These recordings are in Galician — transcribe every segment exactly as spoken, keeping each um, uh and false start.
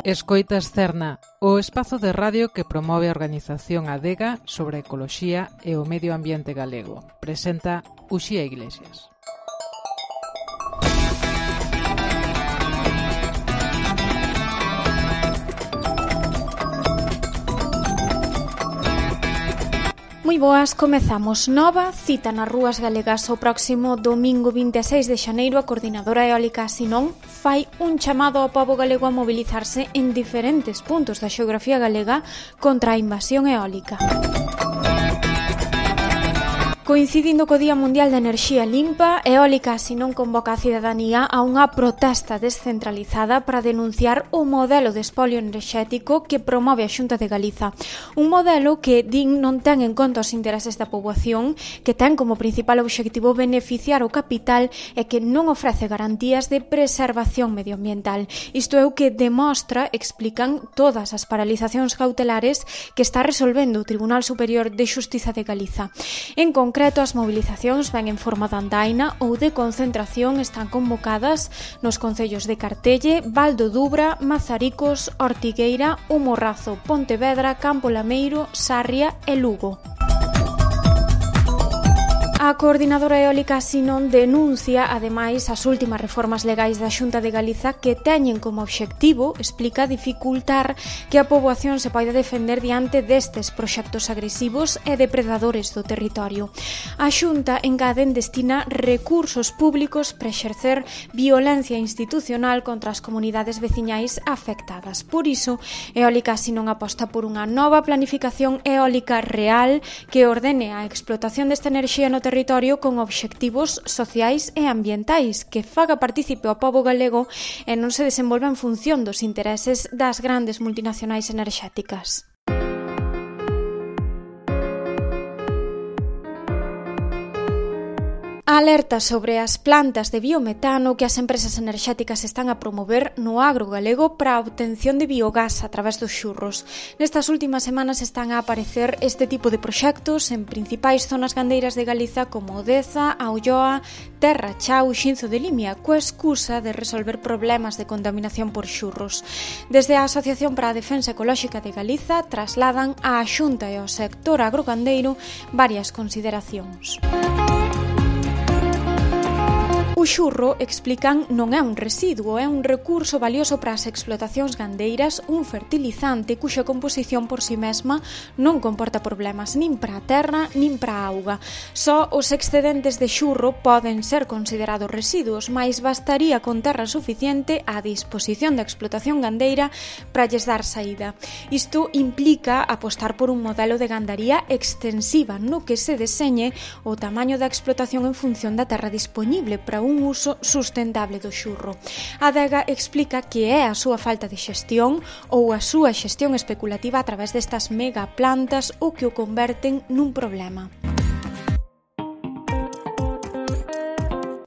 Escoitas Cerna, o espazo de radio que promove a organización Adega sobre a ecoloxía e o medio ambiente galego. Presenta Uxía Iglesias. Moi boas, comezamos nova cita nas rúas galegas o próximo domingo vinte e seis de xaneiro. A Coordinadora Eólica Sinón fai un chamado ao pobo galego a mobilizarse en diferentes puntos da xeografía galega contra a invasión eólica. Coincidindo co Día Mundial de Enerxía Limpa, Eólica Sinón convoca a cidadanía a unha protesta descentralizada para denunciar o modelo de espolio enerxético que promove a Xunta de Galiza. Un modelo que, din, non ten en conta os intereses da poboación, que ten como principal obxectivo beneficiar o capital e que non ofrece garantías de preservación medioambiental. Isto é o que demostra, explican, todas as paralizacións cautelares que está resolvendo o Tribunal Superior de Xustiza de Galiza. En concreto, as movilizacións ven en forma de andaina ou de concentración, están convocadas nos concellos de Cartelle, Val do Dubra, Mazaricos, Ortigueira, O Morrazo, Pontevedra, Campo Lameiro, Sarria e Lugo. A Coordinadora Eólica Sinón denuncia, ademais, as últimas reformas legais da Xunta de Galiza que teñen como obxectivo, explica, dificultar que a poboación se poida defender diante destes proxectos agresivos e depredadores do territorio. A Xunta, engaden, destina recursos públicos para exercer violencia institucional contra as comunidades veciñais afectadas. Por iso, Eólica Sinón aposta por unha nova planificación eólica real que ordene a explotación desta enerxía no territorio territorio con obxectivos sociais e ambientais, que faga partícipe ao pobo galego e non se desenvolva en función dos intereses das grandes multinacionais enerxéticas. A alerta sobre as plantas de biometano que as empresas enerxéticas están a promover no agro galego para a obtención de biogás a través dos xurros. Nestas últimas semanas están a aparecer este tipo de proxectos en principais zonas gandeiras de Galiza como Odeza, A Ulloa, Terra Chao e Xinzo de Limia, coa excusa de resolver problemas de contaminación por xurros. Desde a Asociación para a Defensa Ecolóxica de Galiza trasladan á Xunta e ao sector agrogandeiro varias consideracións. O xurro, explican, non é un residuo, é un recurso valioso para as explotacións gandeiras, un fertilizante cuxa composición por si mesma non comporta problemas nin para a terra nin para a auga. Só os excedentes de xurro poden ser considerados residuos, mais bastaría con terra suficiente á disposición da explotación gandeira para lles dar saída. Isto implica apostar por un modelo de gandaría extensiva no que se deseñe o tamaño da explotación en función da terra disponible para un un uso sustentable do xurro. A Adega explica que é a súa falta de xestión ou a súa xestión especulativa a través destas megaplantas o que o converten nun problema.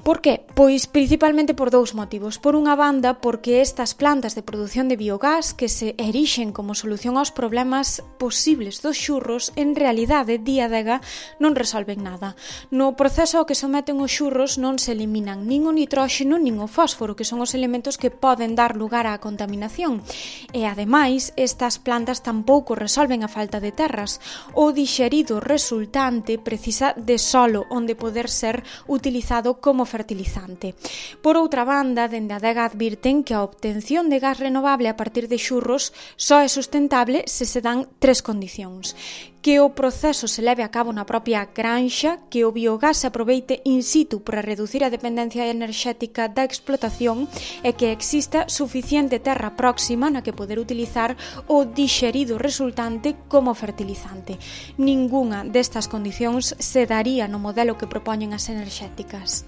Por que? Pois principalmente por dous motivos. Por unha banda, porque estas plantas de produción de biogás que se erixen como solución aos problemas posibles dos xurros, en realidade, di Adega, non resolven nada. No proceso ao que someten os xurros non se eliminan nin o nitróxeno nin o fósforo, que son os elementos que poden dar lugar á contaminación. E, ademais, estas plantas tampouco resolven a falta de terras. O dixerido resultante precisa de solo onde poder ser utilizado como fertilizante. Por outra banda, dende a Adega advirten que a obtención de gas renovable a partir de xurros só é sustentable se se dan tres condicións: que o proceso se leve a cabo na propia granxa, que o biogás se aproveite in situ para reducir a dependencia enerxética da explotación e que exista suficiente terra próxima na que poder utilizar o dixerido resultante como fertilizante. Ningunha destas condicións se daría no modelo que propoñen as enerxéticas.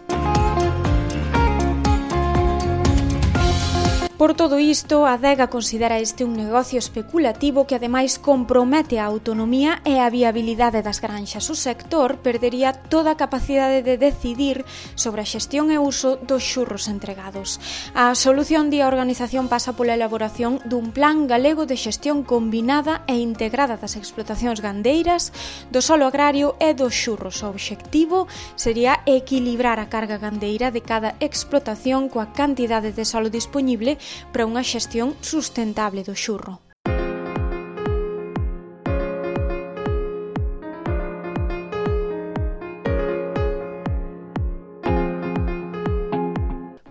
Por todo isto, a Adega considera este un negocio especulativo que ademais compromete a autonomía e a viabilidade das granxas. O sector perdería toda a capacidade de decidir sobre a xestión e uso dos xurros entregados. A solución, di a organización, pasa pola elaboración dun plan galego de xestión combinada e integrada das explotacións gandeiras, do solo agrario e dos xurros. O obxectivo sería equilibrar a carga gandeira de cada explotación coa cantidade de solo disponible para unha xestión sustentable do xurro.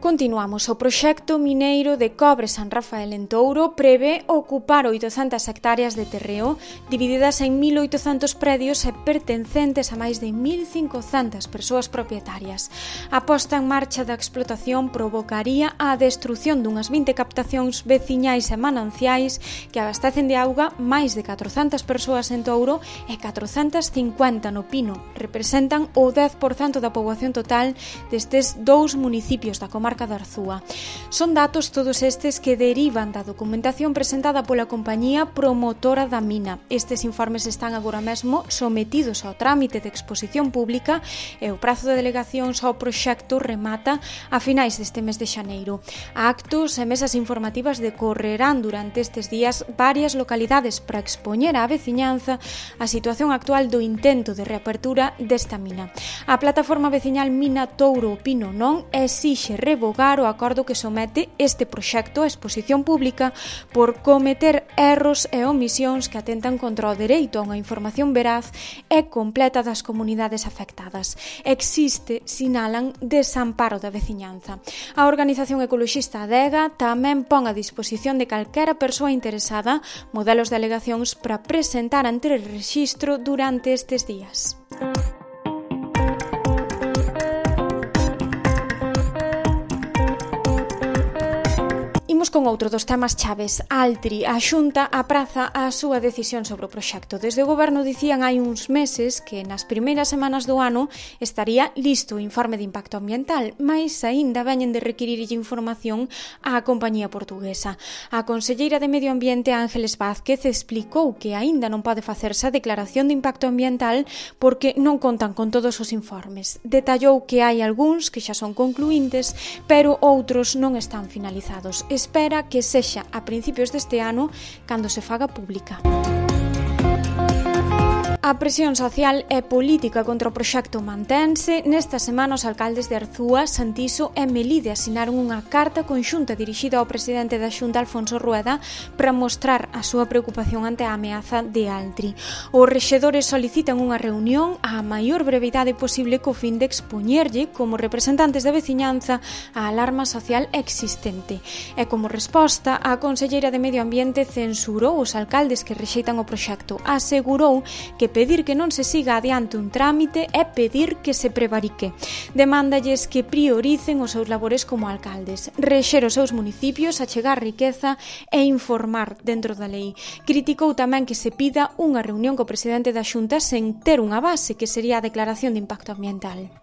Continuamos. O proxecto mineiro de cobre San Rafael en Touro prevé ocupar oitocentas hectáreas de terreo divididas en mil oitocentos predios e pertencentes a máis de mil cincocentas persoas propietarias. A posta en marcha da explotación provocaría a destrución dunhas vinte captacións veciñais e mananciais que abastecen de auga máis de catrocentas persoas en Touro e catrocentas cincuenta no Pino. Representan o dez por cento da poboación total destes dous municipios da comarca da Arzúa. Son datos todos estes que derivan da documentación presentada pola compañía promotora da mina. Estes informes están agora mesmo sometidos ao trámite de exposición pública e o prazo de delegacións ao proxecto remata a finais deste mes de xaneiro. Actos e mesas informativas decorrerán durante estes días varias localidades para expoñer á veciñanza a situación actual do intento de reapertura desta mina. A plataforma veciñal Mina Touro Pino non exixe revogar o acordo que somete este proxecto á exposición pública por cometer erros e omisións que atentan contra o dereito a unha información veraz e completa das comunidades afectadas. Existe, sinalan, desamparo da veciñanza. A organización ecoloxista Adega tamén pon a disposición de calquera persoa interesada modelos de alegacións para presentar ante o rexistro durante estes días. Con outro dos temas chaves, Altri, a Xunta apraza a súa decisión sobre o proxecto. Desde o Goberno dicían hai uns meses que nas primeiras semanas do ano estaría listo o informe de impacto ambiental, mais aínda veñen de requirirlle información á compañía portuguesa. A conselleira de Medio Ambiente, Ángeles Vázquez, explicou que aínda non pode facerse a declaración de impacto ambiental porque non contan con todos os informes. Detallou que hai algúns que xa son concluíntes, pero outros non están finalizados. Espera que sexa a principios deste ano cando se faga pública. A presión social e política contra o proxecto mantense. Nesta semana os alcaldes de Arzúa, Santiso e Melide asinaron unha carta conxunta dirixida ao presidente da Xunta, Alfonso Rueda, para mostrar a súa preocupación ante a ameaza de Altri. Os rexedores solicitan unha reunión á maior brevidade posible co fin de expoñerlle, como representantes da veciñanza, a alarma social existente. E como resposta, a conselleira de Medio Ambiente censurou os alcaldes que rexeitan o proxecto. Asegurou que pedir que non se siga adiante un trámite é pedir que se prevarique. Demandalles que prioricen os seus labores como alcaldes, rexer os seus municipios, achegar riqueza e informar dentro da lei. Criticou tamén que se pida unha reunión co presidente da Xunta sen ter unha base, que sería a declaración de impacto ambiental.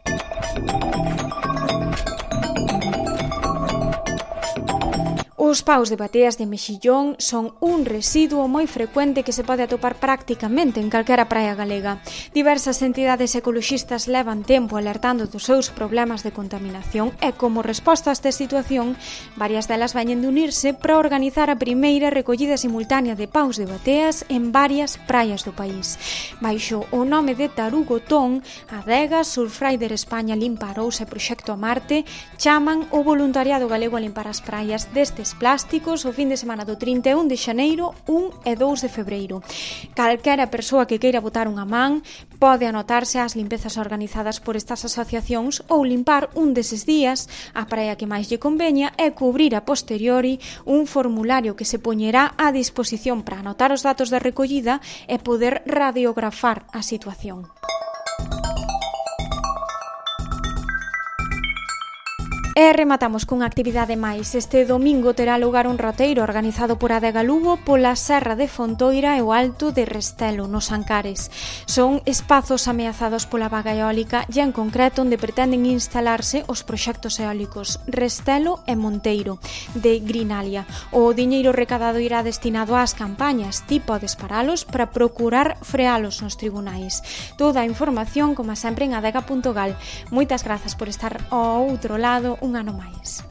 Os paus de bateas de mexillón son un residuo moi frecuente que se pode atopar prácticamente en calquera praia galega. Diversas entidades ecoloxistas levan tempo alertando dos seus problemas de contaminación e, como resposta a esta situación, varias delas veñen de unirse para organizar a primeira recollida simultánea de paus de bateas en varias praias do país. Baixo o nome de Tarugotón, Adega, Surfrider España, Limparouse e Proxecto a Marte chaman o voluntariado galego a limpar as praias destes plásticos o fin de semana do trinta e un de xaneiro, un e dous de febreiro. Calquera persoa que queira botar unha man pode anotarse ás limpezas organizadas por estas asociacións ou limpar un deses días a praia que máis lle conveña e cubrir a posteriori un formulario que se poñerá á disposición para anotar os datos da recollida e poder radiografar a situación. E rematamos cunha actividade máis. Este domingo terá lugar un roteiro organizado por Adega Lugo pola Serra de Fontoira e o Alto de Restelo, nos Ancares. Son espazos ameazados pola vaga eólica e en concreto onde pretenden instalarse os proxectos eólicos Restelo e Monteiro, de Grinalia. O diñeiro recadado irá destinado ás campañas. Ti podes paralos para procurar frealos nos tribunais. Toda a información, como sempre, en adega punto gal. Moitas grazas por estar ao outro lado un ano máis.